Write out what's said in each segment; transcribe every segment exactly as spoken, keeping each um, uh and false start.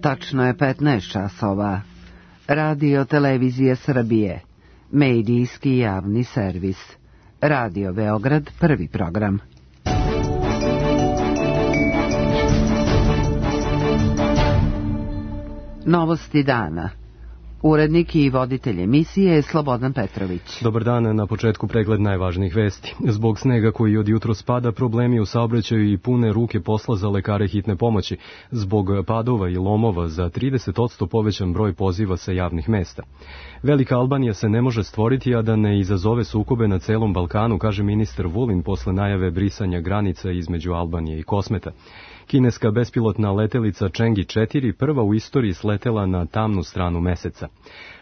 Tačno je petnaest časova. Radio Televizije Srbije. Medijski javni servis. Radio Beograd, prvi program. Novosti dana. Urednik i voditelj emisije je Slobodan Petrović. Dobar dan, na početku pregled najvažnijih vesti. Zbog snega koji od jutro spada, problemi u saobraćaju i pune ruke posla za lekare hitne pomoći. Zbog padova i lomova za trideset posto povećan broj poziva sa javnih mesta. Velika Albanija se ne može stvoriti, a da ne izazove sukobe na celom Balkanu, kaže ministar Vulin posle najave brisanja granica između Albanije i Kosmeta. Kineska bespilotna letelica Chang'e četiri prva u istoriji sletela na tamnu stranu meseca.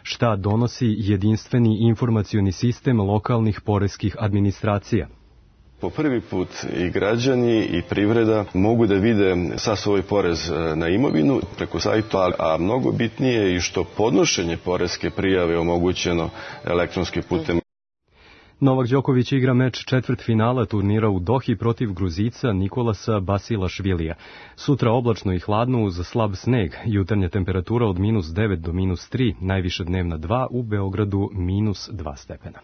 Šta donosi jedinstveni informacioni sistem lokalnih poreskih administracija? Po prvi put i građani i privreda mogu da vide sav svoj porez na imovinu preko sajta, a mnogo bitnije je i što podnošenje poreske prijave omogućeno elektronskim putem. Novak Đoković igra meč četvrtfinala turnira u Dohi protiv Gruzica Nikolasa Basilašvilija. Sutra oblačno i hladno uz slab sneg, jutarnja temperatura od minus devet do minus tri, najviša dnevna dva, u Beogradu minus dva stepena.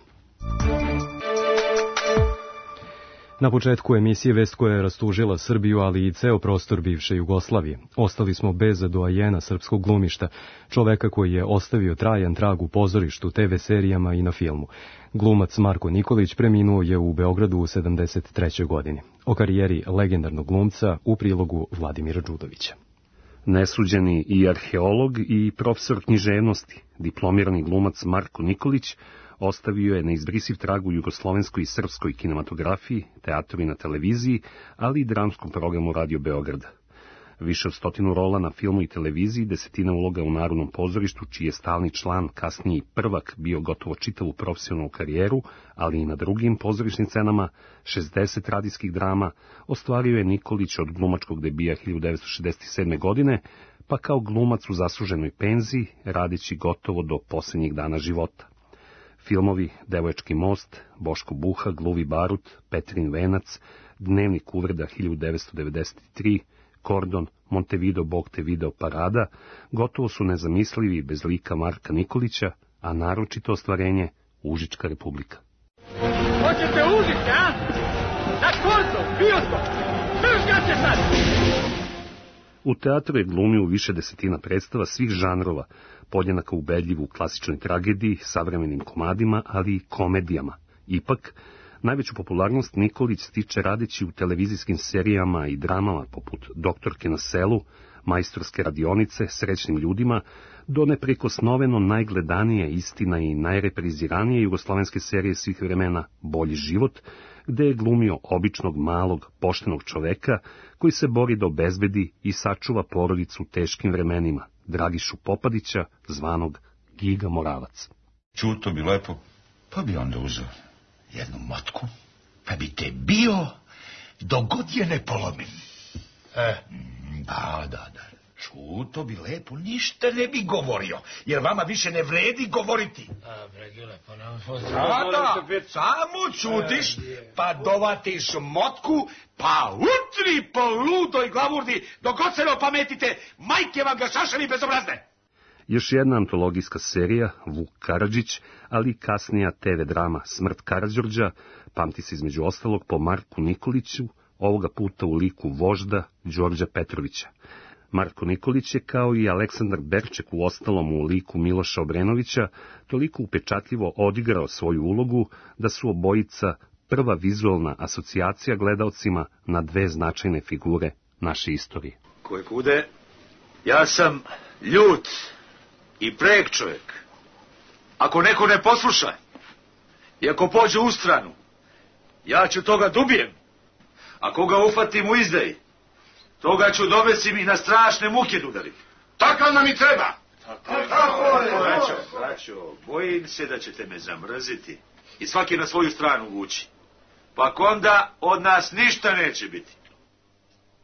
Na početku emisije vest koja je rastužila Srbiju, ali i ceo prostor bivše Jugoslavije. Ostali smo bez doajena srpskog glumišta, čoveka koji je ostavio trajan trag u pozorištu, te ve serijama i na filmu. Glumac Marko Nikolić preminuo je u Beogradu u sedamdeset trećoj godini. O karijeri legendarnog glumca u prilogu Vladimira Đudovića. Nesuđeni i arheolog i profesor književnosti, diplomirani glumac Marko Nikolić ostavio je neizbrisiv trag u jugoslovenskoj i srpskoj kinematografiji, teatru i na televiziji, ali i dramskom programu Radio Beograda. Više od stotinu rola na filmu i televiziji, desetina uloga u Narodnom pozorištu, čiji je stalni član, kasniji prvak, bio gotovo čitavu profesionalnu karijeru, ali i na drugim pozorišnim scenama, šezdeset radijskih drama, ostvario je Nikolić od glumačkog debija hiljadu devetsto šezdeset sedme. godine, pa kao glumac u zasluženoj penziji, radeći gotovo do posljednjih dana života. Filmovi Devojački most, Boško Buha, Gluvi barut, Petrin venac, Dnevnik uvreda hiljadu devetsto devedeset tri, Kordon, Montevideo, Bog te video, Parada, gotovo su nezamislivi bez lika Marka Nikolića, a naročito ostvarenje Užička republika. Hoćete Užička, a? Na Kordon, bioskop, držga se sad! U teatru je glumio u više desetina predstava svih žanrova, podjednako ubedljiv u klasičnoj tragediji, savremenim komadima, ali i komedijama. Ipak, najveću popularnost Nikolić stiče radeći u televizijskim serijama i dramama poput Doktorke na selu, Majstorske radionice, Srećnim ljudima, do neprikosnoveno najgledanije, istina i najrepriziranije jugoslovenske serije svih vremena Bolji život, gde je glumio običnog, malog, poštenog čoveka koji se bori da obezbedi i sačuva porodicu u teškim vremenima, Dragišu Popadića, zvanog Giga Moravac. Čuto bi lepo, pa bi onda uzeo jednu motku, pa bi te bio dok god je ne polomim. E, da, da, da. Čuto bi lepo, ništa ne bi govorio, jer vama više ne vredi govoriti. A, Bregile, pa nam... Sada, samo čutiš, pa dovatiš motku, pa utri po ludoj glavurdi, dok god se ne opametite, majke vam ga šaševi bezobrazne. Još jedna antologijska serija, Vuk Karadžić, ali kasnija te ve drama Smrt Karađorđa, pamti se između ostalog po Marku Nikoliću, ovoga puta u liku vožda Đorđa Petrovića. Marko Nikolić je, kao i Aleksandar Berček u ostalom u liku Miloša Obrenovića, toliko upečatljivo odigrao svoju ulogu da su obojica prva vizualna asocijacija gledaocima na dve značajne figure naše istorije. Koje kude, ja sam ljut i prek čovjek. Ako neko ne posluša i ako pođe u stranu, ja ću toga dubijem. Ako ga ufatim u izdaji, toga ću dovesim i na strašne muke udariti. Takav nam i treba. Tako je. Braćo, braćo, bojim se da ćete me zamrziti i svaki na svoju stranu vući. Pa onda od nas ništa neće biti.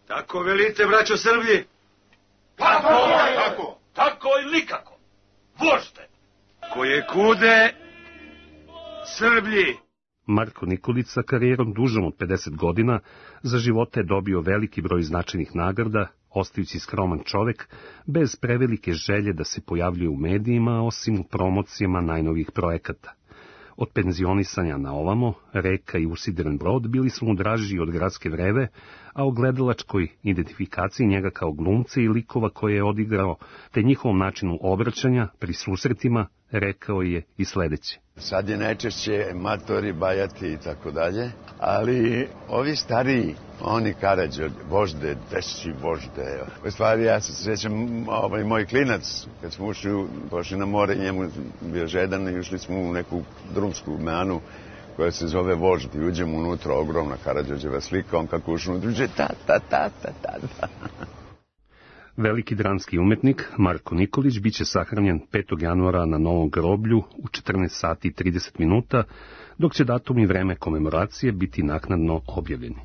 Tako velite, braćo Srblji? Tako, tako, tako i nikako. Vožte. Koje kude, Srblji. Marko Nikolić sa karijerom dužom od pedeset godina za života je dobio veliki broj značajnih nagrada, ostajući skroman čovek, bez prevelike želje da se pojavljuje u medijima, osim u promocijama najnovijih projekata. Od penzionisanja na ovamo, Reka i usidren brod bili su mu draži od Gradske vreve, a o gledalačkoj identifikaciji njega kao glumca i likova koje je odigrao, te njihovom načinu obraćanja pri susretima, rekao je i sledeće. Sad je najčešće matori, bajati i tako dalje, ali ovi stariji, oni Karađo, vožde, teši vožde. U stvari ja se srećam, ovaj moj klinac, kad smo ušli, pošli na more, njemu bio žedan i ušli smo u neku drumsku meanu koja se zove Vožd i uđemo unutra, ogromna Karađorđeva slika, on kako ušli unutra, uđe ta ta ta ta ta ta. Veliki dramski umetnik Marko Nikolić biće sahranjen petog januara na Novom groblju u četrnaest sati i trideset minuta, dok će datum i vreme komemoracije biti naknadno objavljeni.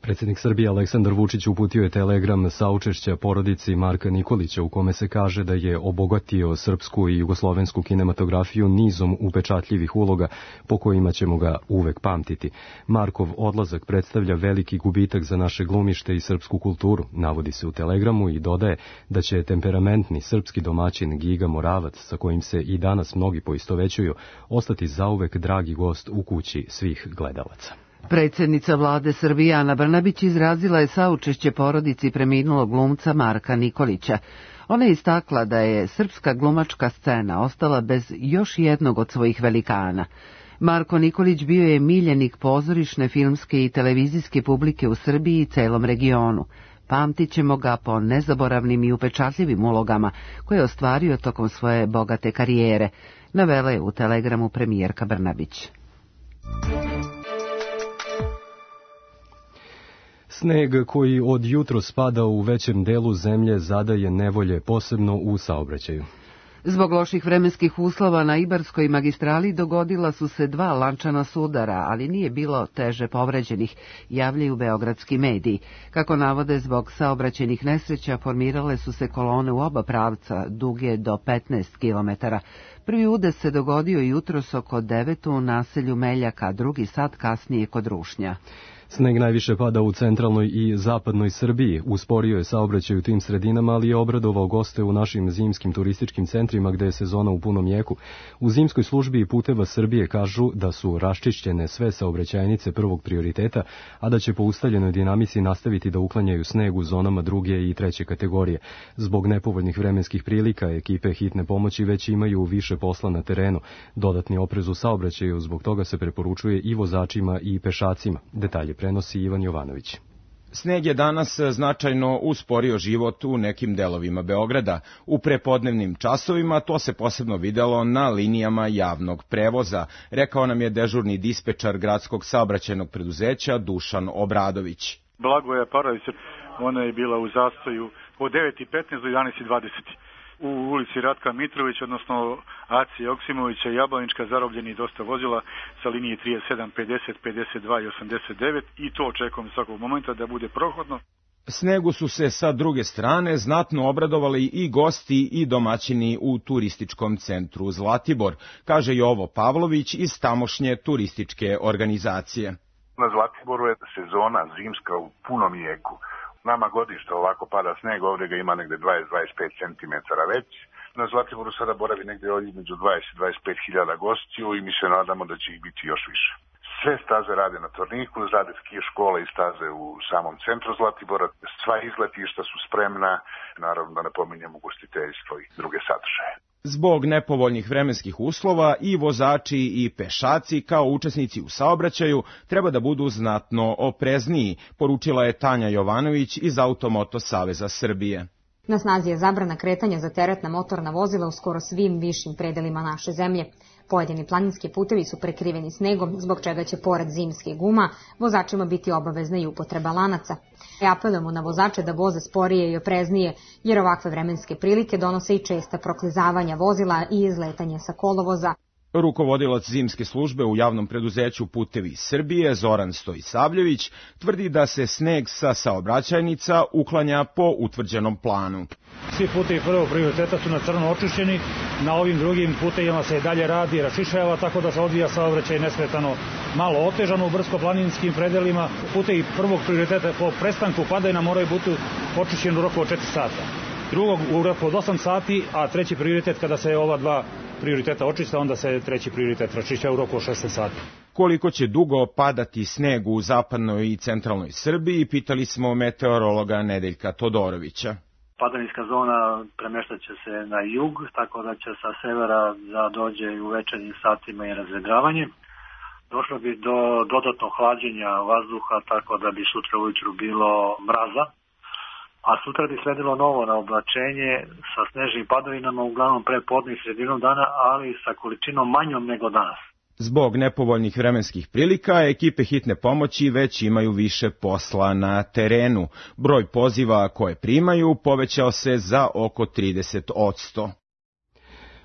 Predsjednik Srbije Aleksandar Vučić uputio je telegram saučešća porodici Marka Nikolića u kome se kaže da je obogatio srpsku i jugoslovensku kinematografiju nizom upečatljivih uloga po kojima ćemo ga uvek pamtiti. Markov odlazak predstavlja veliki gubitak za naše glumište i srpsku kulturu, navodi se u telegramu i dodaje da će temperamentni srpski domaćin Giga Moravac, sa kojim se i danas mnogi poistovećuju, ostati zauvek dragi gost u kući svih gledalaca. Predsjednica vlade Srbije Ana Brnabić izrazila je saučešće porodici preminulog glumca Marka Nikolića. Ona je istakla da je srpska glumačka scena ostala bez još jednog od svojih velikana. Marko Nikolić bio je miljenik pozorišne, filmske i televizijske publike u Srbiji i celom regionu. Pamtit ćemo ga po nezaboravnim i upečatljivim ulogama koje je ostvario tokom svoje bogate karijere, navela je u telegramu premijerka Brnabić. Sneg koji od jutro spada u većem delu zemlje zadaje nevolje, posebno u saobraćaju. Zbog loših vremenskih uslova na Ibarskoj magistrali dogodila su se dva lančana sudara, ali nije bilo teže povređenih, javljaju beogradski mediji. Kako navode, zbog saobraćajnih nesreća formirale su se kolone u oba pravca, duge do petnaest kilometara. Prvi udes se dogodio jutros oko devet u naselju Meljaka, drugi sat kasnije kod Rušnja. Sneg najviše pada u centralnoj i zapadnoj Srbiji. Usporio je saobraćaj u tim sredinama, ali je obradovao goste u našim zimskim turističkim centrima gde je sezona u punom jeku. U zimskoj službi Puteva Srbije kažu da su raščišćene sve saobraćajnice prvog prioriteta, a da će po ustaljenoj dinamici nastaviti da uklanjaju sneg u zonama druge i treće kategorije. Zbog nepovoljnih vremenskih prilika ekipe hitne pomoći već imaju više posla na terenu. Dodatni oprez u saobraćaju zbog toga se preporučuje i vozačima i pešacima. Detalje prenosi Ivan Jovanović. Sneg je danas značajno usporio život u nekim delovima Beograda. U prepodnevnim časovima to se posebno videlo na linijama javnog prevoza, rekao nam je dežurni dispečar gradskog saobraćajnog preduzeća Dušan Obradović. Blagoja Paravića, ona je bila u zastoju od devet i petnaest do jedanaest i dvadeset. U ulici Ratka Mitrović, odnosno Acije Oksimovića i Jablanička, zarobljeni dosta vozila sa linije trideset sedam, pedeset, pedeset dva i osamdeset devet i to očekujem svakog momenta da bude prohodno. Snegu su se sa druge strane znatno obradovali i gosti i domaćini u turističkom centru Zlatibor, kaže Jovo Pavlović iz tamošnje turističke organizacije. Na Zlatiboru je sezona zimska u punom jeku. Nama godište ovako pada sneg, ovdje ga ima negde dvadeset do dvadeset pet centimetara već. Na Zlatiboru sada boravi negde između dvadeset do dvadeset pet hiljada gostiju i mi se nadamo da će ih biti još više. Sve staze rade na Torniku, rade ski škole i staze u samom centru Zlatibora. Sva izletišta su spremna, naravno da ne pominjem ugostiteljstvo i druge sadržaje. Zbog nepovoljnih vremenskih uslova i vozači i pešaci kao učesnici u saobraćaju treba da budu znatno oprezniji, poručila je Tanja Jovanović iz Automoto Saveza Srbije. Na snazi je zabrana kretanja za teretna motorna vozila u skoro svim višim predelima naše zemlje. Pojedini planinski putevi su prekriveni snegom, zbog čega će pored zimskih guma vozačima biti obavezna i upotreba lanaca. E apelujemo na vozače da voze sporije i opreznije, jer ovakve vremenske prilike donose i česta proklizavanja vozila i izletanje sa kolovoza. Rukovodilac zimske službe u javnom preduzeću Putevi Srbije, Zoran Stojisavljević, tvrdi da se sneg sa saobraćajnica uklanja po utvrđenom planu. Svi putevi prvog prioriteta su na crno očišćeni, na ovim drugim putevima se i dalje radi i rašišava, tako da se odvija saobraćaj nesmetano, malo otežano u brdsko-planinskim predelima. Putevi prvog prioriteta po prestanku padajna moraju biti očišćeni u roku od četiri sata. Drugog u roku od osam sati, a treći prioritet kada se ova dva prioriteta očista, onda se treći prioritet rašišća u roku od šesnaest sati. Koliko će dugo padati sneg u zapadnoj i centralnoj Srbiji, pitali smo meteorologa Nedeljka Todorovića. Padavinska zona premeštat će se na jug, tako da će sa severa da dođe u večernjim satima i razvedravanje. Došlo bi do dodatnog hlađenja vazduha, tako da bi sutra ujutru bilo mraza. A sutra bi sledilo novo naoblačenje sa snežnim padavinama, uglavnom pre podne i sredinom dana, ali sa količinom manjom nego danas. Zbog nepovoljnih vremenskih prilika, ekipe hitne pomoći već imaju više posla na terenu. Broj poziva koje primaju povećao se za oko trideset posto.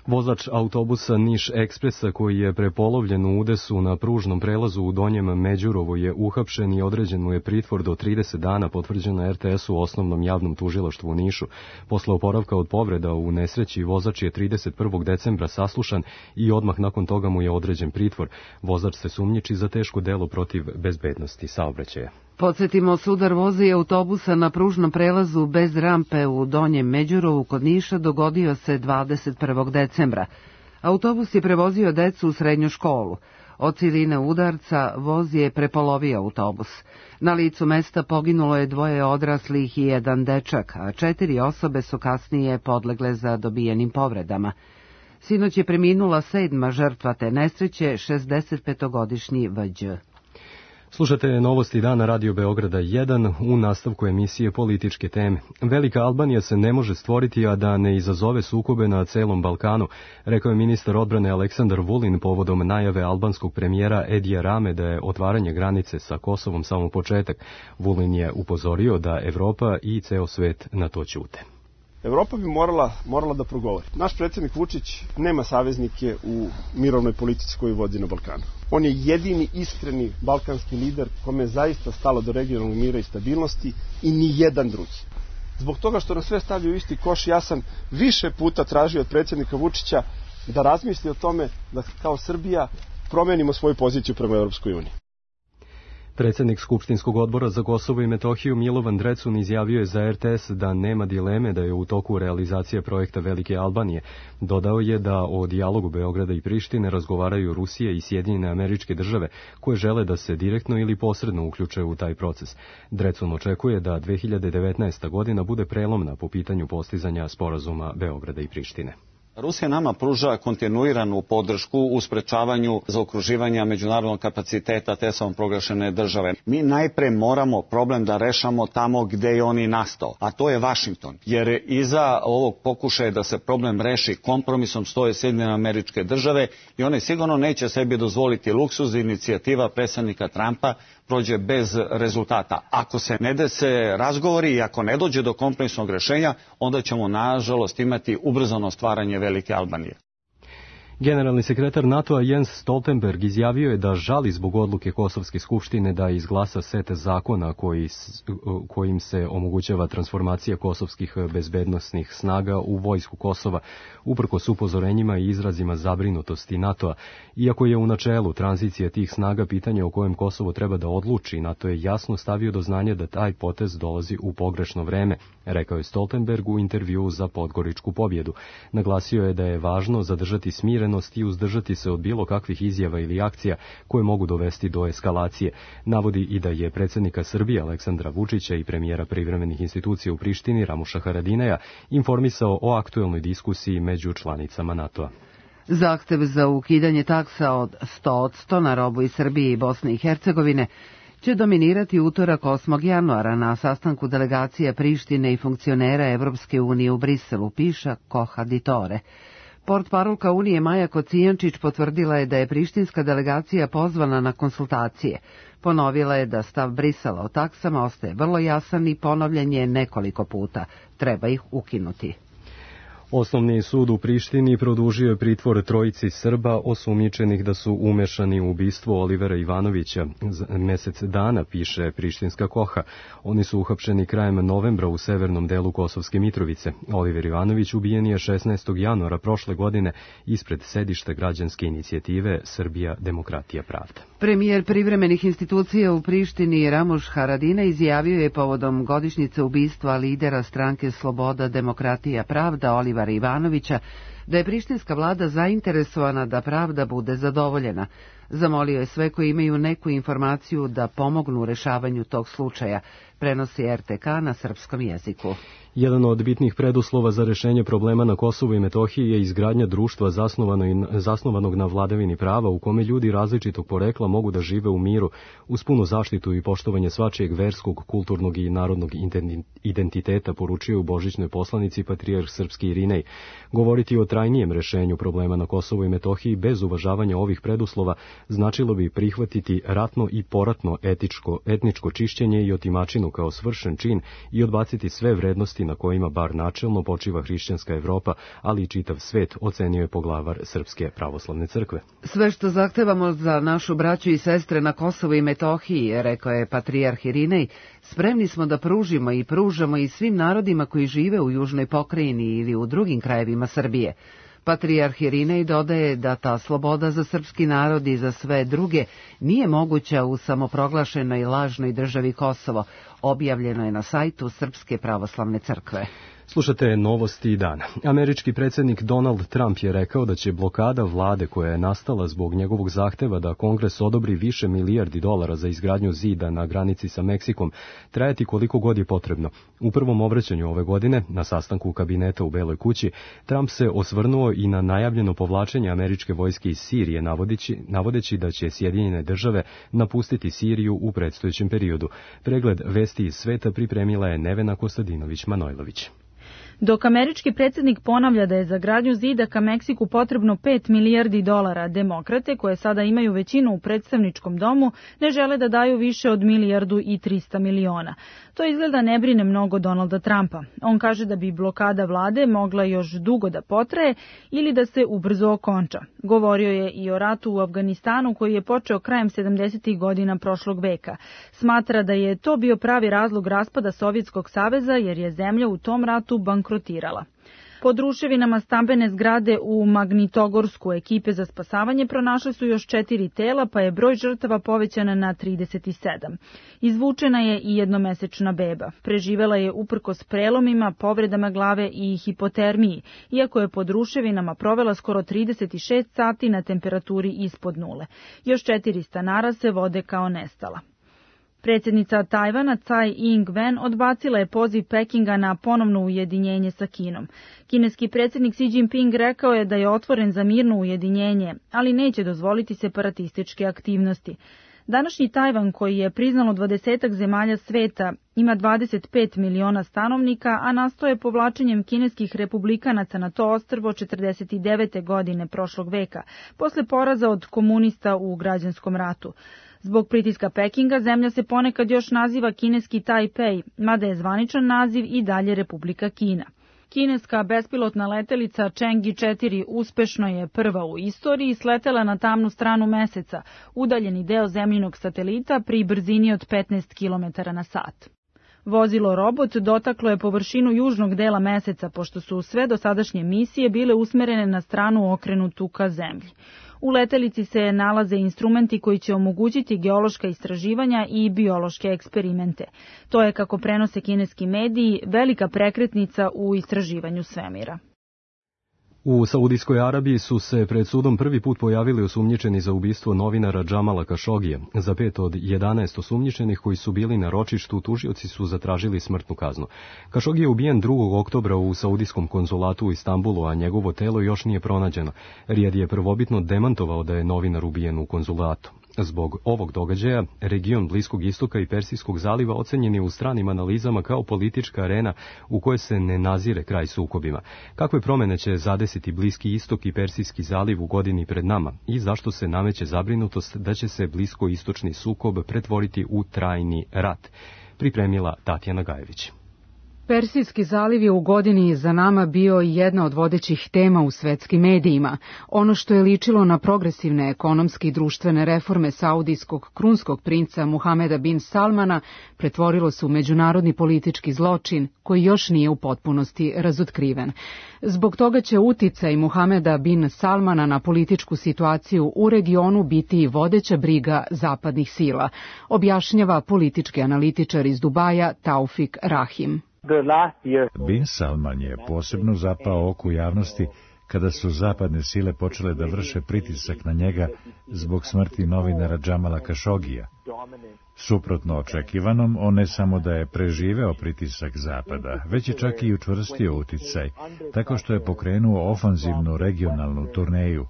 Vozač autobusa Niš Ekspresa koji je prepolovljen u udesu na pružnom prelazu u Donjem Međurovu je uhapšen i određen mu je pritvor do trideset dana, potvrđeno R T S u Osnovnom javnom tužilaštvu u Nišu. Posle oporavka od povreda u nesreći, vozač je trideset prvog decembra saslušan i odmah nakon toga mu je određen pritvor. Vozač se sumnjiči za teško delo protiv bezbednosti saobraćaja. Podsjetimo, sudar voza i autobusa na pružnom prelazu bez rampe u Donjem Međurovu kod Niša dogodio se dvadeset prvog decembra. Autobus je prevozio decu u srednju školu. Od siline udarca voz je prepolovio autobus. Na licu mesta poginulo je dvoje odraslih i jedan dečak, a četiri osobe su kasnije podlegle za dobijenim povredama. Sinoć je preminula sedma žrtva te nesreće, šezdesetpetogodišnji V Đ. Slušate novosti dana Radio Beograda jedan u nastavku emisije Političke teme. Velika Albanija se ne može stvoriti, a da ne izazove sukobe na celom Balkanu, rekao je ministar odbrane Aleksandar Vulin povodom najave albanskog premijera Edija Rame da je otvaranje granice sa Kosovom samo početak. Vulin je upozorio da Evropa i ceo svet na to ćute. Evropa bi morala, morala da progovori. Naš predsjednik Vučić nema saveznike u mirovnoj politici koju vodi na Balkanu. On je jedini iskreni balkanski lider kome je zaista stalo do regionalnog mira i stabilnosti i ni jedan drugi. Zbog toga što nas sve stavio u isti koš, ja sam više puta tražio od predsjednika Vučića da razmisli o tome da kao Srbija promenimo svoju poziciju prema Europskoj uniji. Predsjednik Skupštinskog odbora za Kosovo i Metohiju Milovan Drecun izjavio je za R T S da nema dileme da je u toku realizacije projekta Velike Albanije. Dodao je da o dijalogu Beograda i Prištine razgovaraju Rusija i Sjedinjene Američke Države, koje žele da se direktno ili posredno uključe u taj proces. Drecun očekuje da dve hiljade devetnaesta godina bude prelomna po pitanju postizanja sporazuma Beograda i Prištine. Rusija nama pruža kontinuiranu podršku u sprečavanju zaokruživanja međunarodnog kapaciteta te samoproglašene države. Mi najpre moramo problem da rešamo tamo gde je on i nastao, a to je Vašington. Jer iza ovog pokušaja da se problem reši kompromisom stoje Sjedinjene Američke Države i one sigurno neće sebi dozvoliti luksuz. Inicijativa predsjednika Trumpa prođe bez rezultata. Ako se ne dese razgovori i ako ne dođe do kompromisnog rešenja, onda ćemo nažalost imati ubrzano stvaranje Velike Albanije. Generalni sekretar NATO-a Jens Stoltenberg izjavio je da žali zbog odluke Kosovske skupštine da izglasa set zakona koji, kojim se omogućava transformacija kosovskih bezbednosnih snaga u vojsku Kosova, uprkos upozorenjima i izrazima zabrinutosti NATO-a. Iako je u načelu tranzicija tih snaga pitanje o kojem Kosovo treba da odluči, NATO je jasno stavio do znanja da taj potez dolazi u pogrešno vreme, rekao je Stoltenberg u intervjuu za Podgoričku pobjedu. Naglasio je da je važno zadržati smiren i uzdržati se od bilo kakvih izjava ili akcija koje mogu dovesti do eskalacije. Navodi i da je predsjednika Srbije Aleksandra Vučića i premijera privremenih institucija u Prištini Ramuša Haradinaja informisao o aktuelnoj diskusiji među članicama NATO-a. Zahtev za ukidanje taksa od sto posto na robu iz Srbije i Bosne i Hercegovine će dominirati utorak osmog januara na sastanku delegacija Prištine i funkcionera Evropske unije u Briselu, piša Kohaditore. Portparolka Unije Maja Kocijančić potvrdila je da je prištinska delegacija pozvana na konsultacije. Ponovila je da stav Brisela o taksama ostaje vrlo jasan i ponovljen je nekoliko puta. Treba ih ukinuti. Osnovni sud u Prištini produžio je pritvor trojici Srba osumnjičenih da su umešani u ubistvo Olivera Ivanovića. Mesec dana, piše Prištinska Koha. Oni su uhapšeni krajem novembra u severnom delu Kosovske Mitrovice. Oliver Ivanović ubijen je šesnaestog januara prošle godine ispred sedišta građanske inicijative Srbija, demokratija, pravda. Premijer privremenih institucija u Prištini Ramuš Haradina izjavio je povodom godišnjice ubistva lidera stranke Sloboda, demokratija, pravda Olivera Ivanovića da je prištinska vlada zainteresovana da pravda bude zadovoljena. Zamolio je sve koji imaju neku informaciju da pomognu u rešavanju tog slučaja, prenosi er te ka na srpskom jeziku. Jedan od bitnih preduslova za rešenje problema na Kosovu i Metohiji je izgradnja društva zasnovanog na vladavini prava u kome ljudi različitog porekla mogu da žive u miru uz punu zaštitu i poštovanje svačijeg verskog, kulturnog i narodnog identiteta, poručio u božićnoj poslanici patrijarh srpski Irinej. Govoriti o trajnijem rešenju problema na Kosovu i Metohiji bez uvažavanja ovih preduslova značilo bi prihvatiti ratno i poratno etičko, etničko čišćenje i otimačinu kao svršen čin i odbaciti sve vrednosti na kojima bar načelno počiva hrišćanska Evropa, ali i čitav svet, ocenio je poglavar Srpske pravoslavne crkve. Sve što zahtevamo za našu braću i sestre na Kosovu i Metohiji, rekao je patrijarh Irinej, spremni smo da pružimo i pružamo i svim narodima koji žive u južnoj pokrajini ili u drugim krajevima Srbije. Patrijarh Irinej dodaje da ta sloboda za srpski narod i za sve druge nije moguća u samoproglašenoj lažnoj državi Kosovo, objavljeno je na sajtu Srpske pravoslavne crkve. Slušate novosti dana. Američki predsjednik Donald Trump je rekao da će blokada vlade koja je nastala zbog njegovog zahteva da Kongres odobri više milijardi dolara za izgradnju zida na granici sa Meksikom trajati koliko god je potrebno. U prvom obraćanju ove godine, na sastanku kabineta u Beloj kući, Trump se osvrnuo i na najavljeno povlačenje američke vojske iz Sirije, navodeći, navodeći da će Sjedinjene države napustiti Siriju u predstojećem periodu. Pregled vesti iz sveta pripremila je Nevena Kostadinović-Manojlović. Dok američki predsjednik ponavlja da je za gradnju zida ka Meksiku potrebno pet milijardi dolara, demokrate, koje sada imaju većinu u predstavničkom domu, ne žele da daju više od milijardu i trista miliona. To izgleda ne brine mnogo Donalda Trumpa. On kaže da bi blokada vlade mogla još dugo da potraje ili da se ubrzo okonča. Govorio je i o ratu u Afganistanu koji je počeo krajem sedamdesetih godina prošlog veka. Smatra da je to bio pravi razlog raspada Sovjetskog saveza jer je zemlja u tom ratu bankrotirala. Pod ruševinama stambene zgrade u Magnitogorsku ekipe za spasavanje pronašle su još četiri tela, pa je broj žrtava povećan na trideset sedam. Izvučena je i jednomesečna beba. Preživela je uprkos prelomima, povredama glave i hipotermiji, iako je pod ruševinama provela skoro trideset šest sati na temperaturi ispod nule. Još četiri stanara se vode kao nestala. Predsjednica Tajvana Tsai Ing-wen odbacila je poziv Pekinga na ponovno ujedinjenje sa Kinom. Kineski predsjednik Xi Jinping rekao je da je otvoren za mirno ujedinjenje, ali neće dozvoliti separatističke aktivnosti. Današnji Tajvan, koji je priznalo dvadesetak zemalja sveta, ima dvadeset pet miliona stanovnika, a nastoje povlačenjem kineskih republikanaca na to ostrvo četrdeset devete godine prošlog veka, posle poraza od komunista u građanskom ratu. Zbog pritiska Pekinga zemlja se ponekad još naziva kineski Tajpej, mada je zvaničan naziv i dalje Republika Kina. Kineska bespilotna letelica Chang'e četiri uspešno je prva u istoriji sletela na tamnu stranu meseca, udaljeni deo zemljinog satelita pri brzini od petnaest kilometara na sat. Vozilo robot dotaklo je površinu južnog dela meseca, pošto su sve dosadašnje misije bile usmerene na stranu okrenutu ka zemlji. U letelici se nalaze instrumenti koji će omogućiti geološka istraživanja i biološke eksperimente. To je, kako prenose kineski mediji, velika prekretnica u istraživanju svemira. U Saudijskoj Arabiji su se pred sudom prvi put pojavili osumnjičeni za ubistvo novinara Džamala Kašogija. Za pet od jedanaest osumnjičenih koji su bili na ročištu, tužioci su zatražili smrtnu kaznu. Kašogi je ubijen drugog oktobra u Saudijskom konzulatu u Istanbulu, a njegovo telo još nije pronađeno. Rijad je prvobitno demantovao da je novinar ubijen u konzulatu. Zbog ovog događaja, region Bliskog istoka i Persijskog zaliva ocenjen je u stranim analizama kao politička arena u kojoj se ne nazire kraj sukobima. Kakve promene će zadesiti Bliski istok i Persijski zaliv u godini pred nama i zašto se nameće zabrinutost da će se bliskoistočni sukob pretvoriti u trajni rat? Pripremila Tatjana Gajević. Persijski zaliv je u godini za nama bio jedna od vodećih tema u svetskim medijima. Ono što je ličilo na progresivne ekonomske i društvene reforme saudijskog krunskog princa Muhameda bin Salmana pretvorilo se u međunarodni politički zločin koji još nije u potpunosti razotkriven. Zbog toga će uticaj Muhameda bin Salmana na političku situaciju u regionu biti vodeća briga zapadnih sila, objašnjava politički analitičar iz Dubaja Taufik Rahim. Bin Salman je posebno zapao oku javnosti kada su zapadne sile počele da vrše pritisak na njega zbog smrti novinara Džamala Kašogija. Suprotno očekivanom, on ne samo da je preživeo pritisak zapada, već je čak i učvrstio uticaj, tako što je pokrenuo ofanzivnu regionalnu turneju.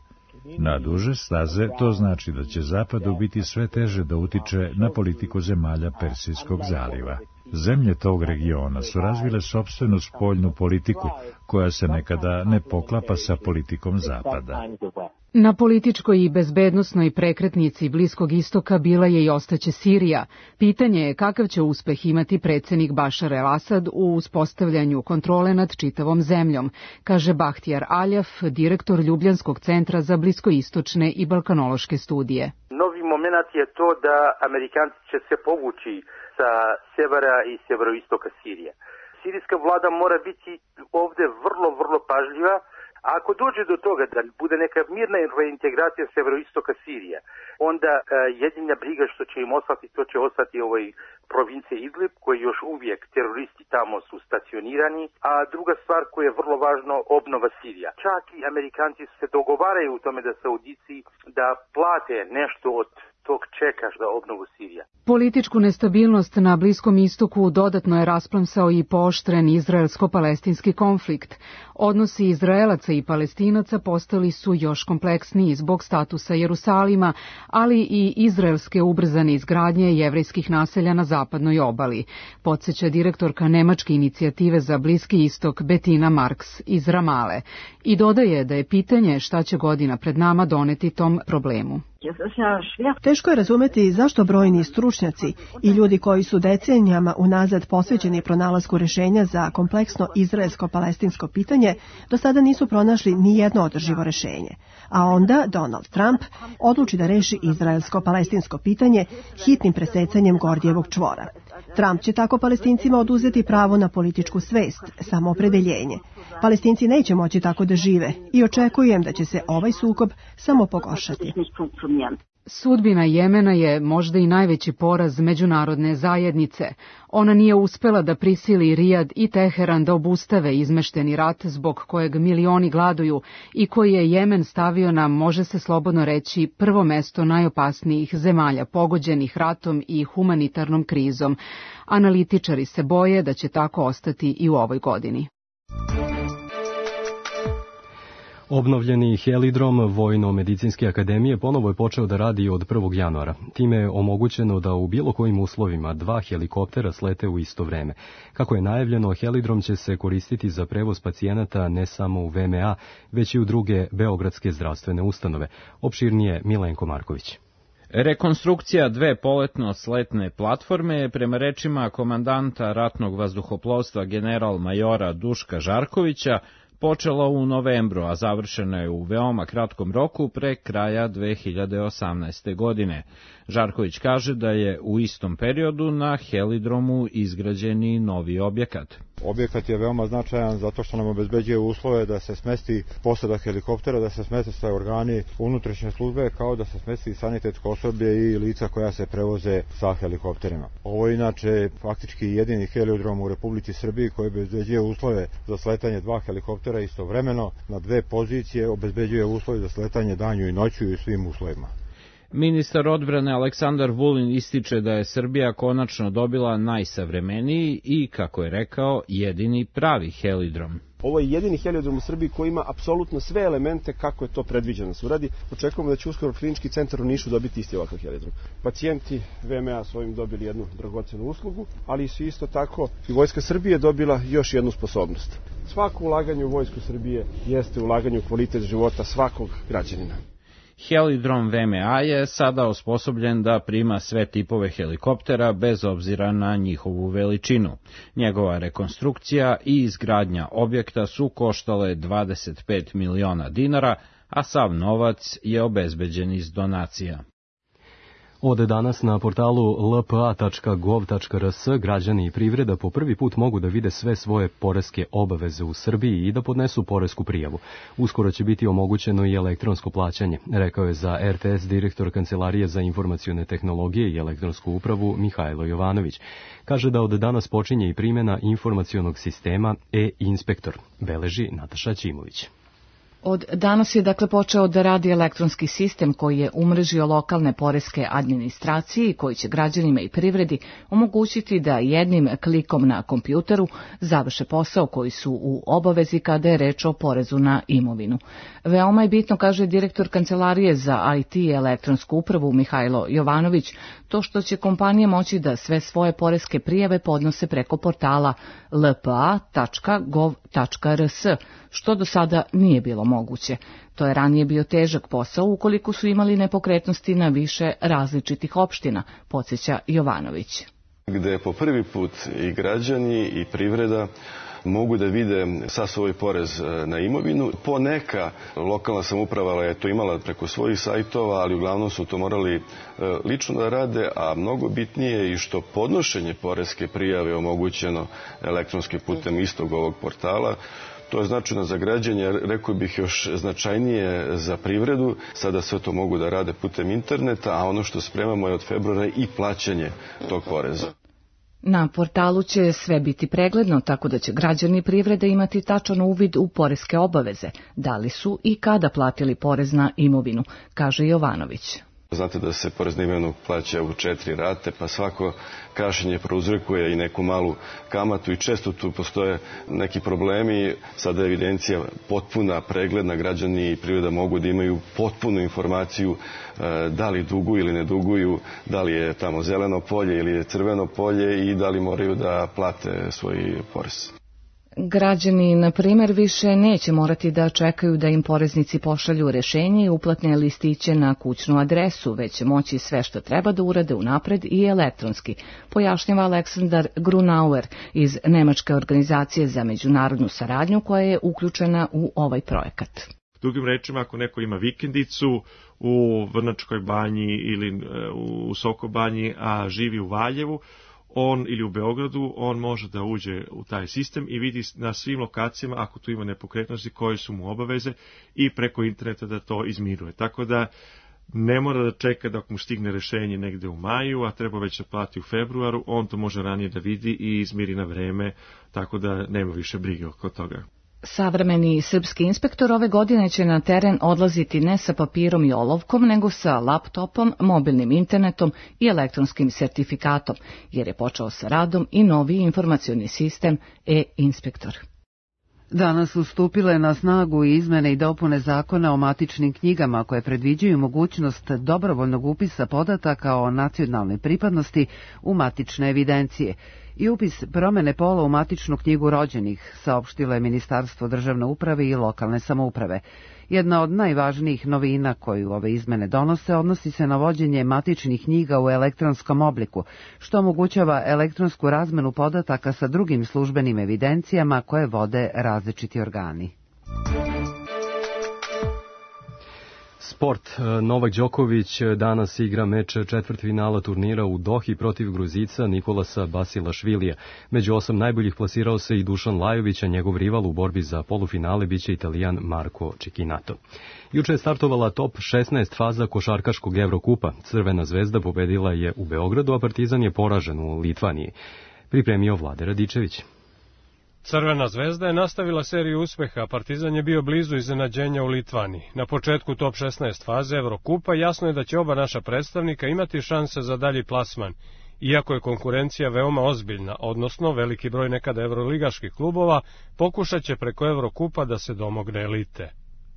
Na duže staze to znači da će zapadu biti sve teže da utiče na politiku zemalja Persijskog zaliva. Zemlje tog regiona su razvile sopstvenu spoljnu politiku, koja se nekada ne poklapa sa politikom zapada. Na političkoj i bezbednosnoj prekretnici Bliskog istoka bila je i ostaće Sirija. Pitanje je kakav će uspeh imati predsjednik Bašar el-Asad u uspostavljanju kontrole nad čitavom zemljom, kaže Bahtijar Aljaf, direktor Ljubljanskog centra za bliskoistočne i balkanološke studije. Novi moment je to da Amerikanci će se povući sa sjevera i sjeveroistoka Sirije. Sirijska vlada mora biti ovdje vrlo, vrlo pažljiva. A ako dođe do toga da bude neka mirna reintegracija severoistoka Sirije, onda uh, jedina briga što će im ostati, to će ostati ovoj provincije Idlib, koji još uvijek teroristi tamo su stacionirani, a druga stvar koja je vrlo važno, obnova Sirija. Čak i Amerikanci se dogovaraju u tome da Saudici da plate nešto od tog čekaš za obnovu Sirija. Političku nestabilnost na Bliskom istoku dodatno je rasplamsao i pooštren izraelsko-palestinski konflikt. Odnosi Izraelaca i Palestinaca postali su još kompleksniji zbog statusa Jerusalima, ali i izraelske ubrzane izgradnje jevrejskih naselja na zapadnoj obali, podsjeća direktorka nemačke inicijative za Bliski istok Bettina Marks iz Ramale i dodaje da je pitanje šta će godina pred nama doneti tom problemu. Teško je razumeti zašto brojni stručnjaci i ljudi koji su decenijama unazad posvećeni pronalasku rešenja za kompleksno izraelsko-palestinsko pitanje do sada nisu pronašli ni jedno održivo rešenje. A onda Donald Trump odluči da reši izraelsko-palestinsko pitanje hitnim presecanjem Gordijevog čvora. Trump će tako Palestincima oduzeti pravo na političku svest, samoopredeljenje. Palestinci neće moći tako da žive i očekujem da će se ovaj sukob samo pogoršati. Sudbina Jemena je možda i najveći poraz međunarodne zajednice. Ona nije uspela da prisili Rijad i Teheran da obustave izmešteni rat zbog kojeg milioni gladuju i koji je Jemen stavio na, može se slobodno reći, prvo mesto najopasnijih zemalja pogođenih ratom i humanitarnom krizom. Analitičari se boje da će tako ostati i u ovoj godini. Obnovljeni helidrom Vojno-medicinske akademije ponovo je počeo da radi od prvog januara. Time je omogućeno da u bilo kojim uslovima dva helikoptera slete u isto vreme. Kako je najavljeno, helidrom će se koristiti za prevoz pacijenata ne samo u V M A, već i u druge beogradske zdravstvene ustanove. Opširnije Milenko Marković. Rekonstrukcija dve poletno-sletne platforme je prema rečima komandanta ratnog vazduhoplovstva general majora Duška Žarkovića počela u novembru, a završena je u veoma kratkom roku pre kraja dve hiljade osamnaeste. godine. Žarković kaže da je u istom periodu na helidromu izgrađen i novi objekat. Objekat je veoma značajan zato što nam obezbeđuje uslove da se smesti posada helikoptera, da se smeste sve organi unutrašnje službe, kao da se smesti sanitetsko osoblje i lica koja se prevoze sa helikopterima. Ovo je inače faktički jedini heliodrom u Republici Srbiji koji obezbeđuje uslove za sletanje dva helikoptera istovremeno na dve pozicije, obezbeđuje uslove za sletanje danju i noću i svim uslovima. Ministar odbrane Aleksandar Vulin ističe da je Srbija konačno dobila najsavremeniji i, kako je rekao, jedini pravi helidrom. Ovo je jedini heliodrom u Srbiji koji ima apsolutno sve elemente kako je to predviđeno se uradi. Očekujemo da će uskoro Klinički centar u Nišu dobiti isti ovakav heliodrom. Pacijenti V M A su ovim dobili jednu dragocenu uslugu, ali su isto tako i Vojska Srbije dobila još jednu sposobnost. Svako ulaganje u Vojsku Srbije jeste ulaganje u kvalitet života svakog građanina. Helidrom V M A je sada osposobljen da prima sve tipove helikoptera bez obzira na njihovu veličinu. Njegova rekonstrukcija i izgradnja objekta su koštale dvadeset pet miliona dinara, a sav novac je obezbeđen iz donacija. Od danas na portalu l p a tačka gov tačka r s građani i privreda po prvi put mogu da vide sve svoje poreske obaveze u Srbiji i da podnesu poresku prijavu. Uskoro će biti omogućeno i elektronsko plaćanje, rekao je za R T S direktor Kancelarije za informacione tehnologije i elektronsku upravu Mihajlo Jovanović. Kaže da od danas počinje i primjena informacionog sistema e-inspektor, beleži Nataša Ćimović. Od danas je dakle počeo da radi elektronski sistem koji je umrežio lokalne poreske administracije i koji će građanima i privredi omogućiti da jednim klikom na kompjuteru završe posao koji su u obavezi kada je reč o porezu na imovinu. Veoma je bitno, kaže direktor Kancelarije za I T i elektronsku upravu Mihajlo Jovanović, to što će kompanije moći da sve svoje poreske prijave podnose preko portala l p a tačka gov tačka r s, što do sada nije bilo moguće. To je ranije bio težak posao ukoliko su imali nepokretnosti na više različitih opština, podsjeća Jovanović. Gde po prvi put i građani i privreda mogu da vide sa svoj porez na imovinu. Poneka lokalna samouprava je to imala preko svojih sajtova, ali uglavnom su to morali lično da rade, a mnogo bitnije je i što podnošenje poreske prijave je omogućeno elektronskim putem istog ovog portala. To je značajno za građanje, rekao bih još značajnije za privredu. Sada sve to mogu da rade putem interneta, a ono što spremamo je od februara i plaćanje tog poreza. Na portalu će sve biti pregledno, tako da će građani privrede imati tačan uvid u poreske obaveze, da li su i kada platili porez na imovinu, kaže Jovanović. Znate da se porez na imovinu plaća u četiri rate, pa svako kašnjenje prouzrokuje i neku malu kamatu i često tu postoje neki problemi. Sada je evidencija potpuna, pregledna, građani i privreda mogu da imaju potpunu informaciju da li duguju ili ne duguju, da li je tamo zeleno polje ili je crveno polje i da li moraju da plate svoj porez. Građani, na primjer, više neće morati da čekaju da im poreznici pošalju rešenje i uplatne listiće na kućnu adresu, već će moći sve što treba da urade unapred i elektronski, pojašnjava Aleksandar Grunauer iz Nemačke organizacije za međunarodnu saradnju koja je uključena u ovaj projekat. Drugim rečima, ako neko ima vikendicu u Vrnačkoj banji ili u Sokobanji, a živi u Valjevu, on ili u Beogradu, on može da uđe u taj sistem i vidi na svim lokacijama, ako tu ima nepokretnosti, koje su mu obaveze i preko interneta da to izmiruje. Tako da ne mora da čeka dok mu stigne rešenje negde u maju, a treba već da plati u februaru, on to može ranije da vidi i izmiri na vreme, tako da nema više brige oko toga. Savremeni srpski inspektor ove godine će na teren odlaziti ne sa papirom i olovkom, nego sa laptopom, mobilnim internetom i elektronskim sertifikatom, jer je počeo sa radom i novi informacioni sistem e-inspektor. Danas su stupile na snagu izmene i dopune zakona o matičnim knjigama koje predviđaju mogućnost dobrovoljnog upisa podataka o nacionalnoj pripadnosti u matične evidencije i upis promene pola u matičnu knjigu rođenih, saopštilo je Ministarstvo državne uprave i lokalne samouprave. Jedna od najvažnijih novina koju ove izmene donose odnosi se na vođenje matičnih knjiga u elektronskom obliku, što omogućava elektronsku razmenu podataka sa drugim službenim evidencijama koje vode različiti organi. Sport. Novak Đoković danas igra meč četvrtfinala turnira u Dohi protiv Gruzica Nikolasa Basilašvilija. Među osam najboljih plasirao se i Dušan Lajović, a njegov rival u borbi za polufinale biće Italijan Marko Cecchinato. Juče je startovala top šesnaest faza košarkaškog Evrokupa. Crvena zvezda pobedila je u Beogradu, a Partizan je poražen u Litvaniji. Pripremio Vlade Radičević. Crvena zvezda je nastavila seriju uspeha, Partizan je bio blizu iznenađenja u Litvaniji. Na početku top šesnaest faze Evrokupa jasno je da će oba naša predstavnika imati šanse za dalji plasman, iako je konkurencija veoma ozbiljna, odnosno veliki broj nekada evroligaških klubova pokušat će preko Evrokupa da se domogne elite.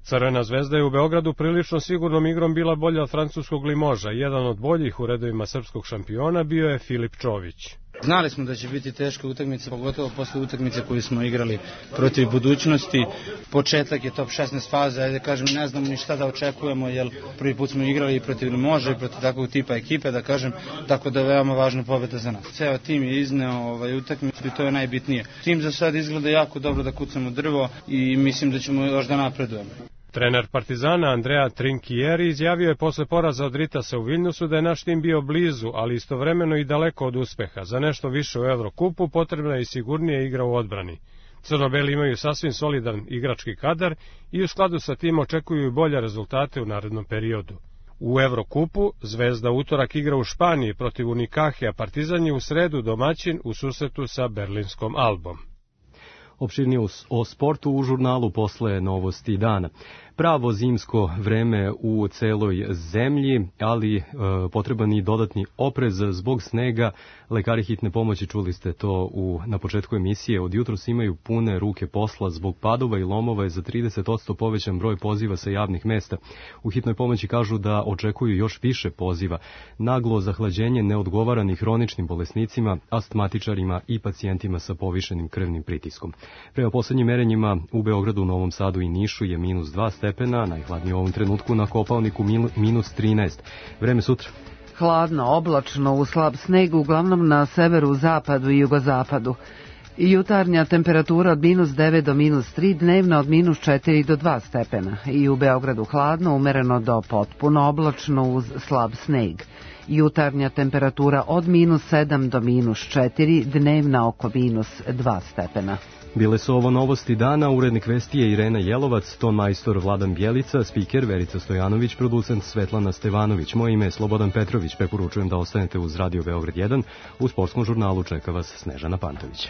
Crvena zvezda je u Beogradu prilično sigurnom igrom bila bolja od francuskog Limoža. Jedan od boljih u redovima srpskog šampiona bio je Filip Čović. Znali smo da će biti teška utakmica, pogotovo posle utakmice koju smo igrali protiv Budućnosti. Početak je top šesnaest faze, ajde kažem, ne znamo ni šta da očekujemo, jer prvi put smo igrali i protiv Može i protiv takvog tipa ekipe, da kažem, tako da je veoma važna pobeda za nas. Ceo tim je izneo ovaj, utakmicu i to je najbitnije. Tim za sad izgleda jako dobro da kucamo drvo i mislim da ćemo još da napredujemo. Trener Partizana Andrea Trinchieri izjavio je posle poraza od Ritasa u Viljnusu da je naš tim bio blizu, ali istovremeno i daleko od uspeha. Za nešto više u Evrokupu potrebna je i sigurnija igra u odbrani. Crno-beli imaju sasvim solidan igrački kadar i u skladu sa tim očekuju i bolje rezultate u narednom periodu. U Evrokupu Zvezda utorak igra u Španiji protiv Unikahe, a Partizan je u sredu domaćin u susretu sa berlinskom Albom. Opširnije o sportu u žurnalu posle novosti dana. Pravo zimsko vreme u celoj zemlji, ali e, potreban i dodatni oprez zbog snega. Lekari hitne pomoći, čuli ste to u, na početku emisije, od jutros imaju pune ruke posla zbog padova i lomova je za trideset posto povećan broj poziva sa javnih mesta. U hitnoj pomoći kažu da očekuju još više poziva. Naglo zahlađenje ne odgovara ni hroničnim bolesnicima, astmatičarima i pacijentima sa povišenim krvnim pritiskom. Prema poslednjim merenjima u Beogradu, Novom Sadu i Nišu je minus dva stepena, najhladnije u ovom trenutku na Kopaoniku minus trinaest. Vreme sutra. Hladno, oblačno, u slab sneg, uglavnom na severu, zapadu i jugozapadu. Jutarnja temperatura od minus devet do minus tri, dnevna od minus četiri do dva stepena. I u Beogradu hladno, umereno do potpuno oblačno uz slab sneg. Jutarnja temperatura od minus sedam do minus četiri, dnevna oko minus dva stepena. Bile su ovo novosti dana, urednik vesti je Irena Jelovac, ton majstor Vladan Bjelica, spiker Verica Stojanović, producent Svetlana Stevanović. Moje ime je Slobodan Petrović, preporučujem da ostanete uz Radio Beograd jedan, u sportskom žurnalu čeka vas Snežana Pantović.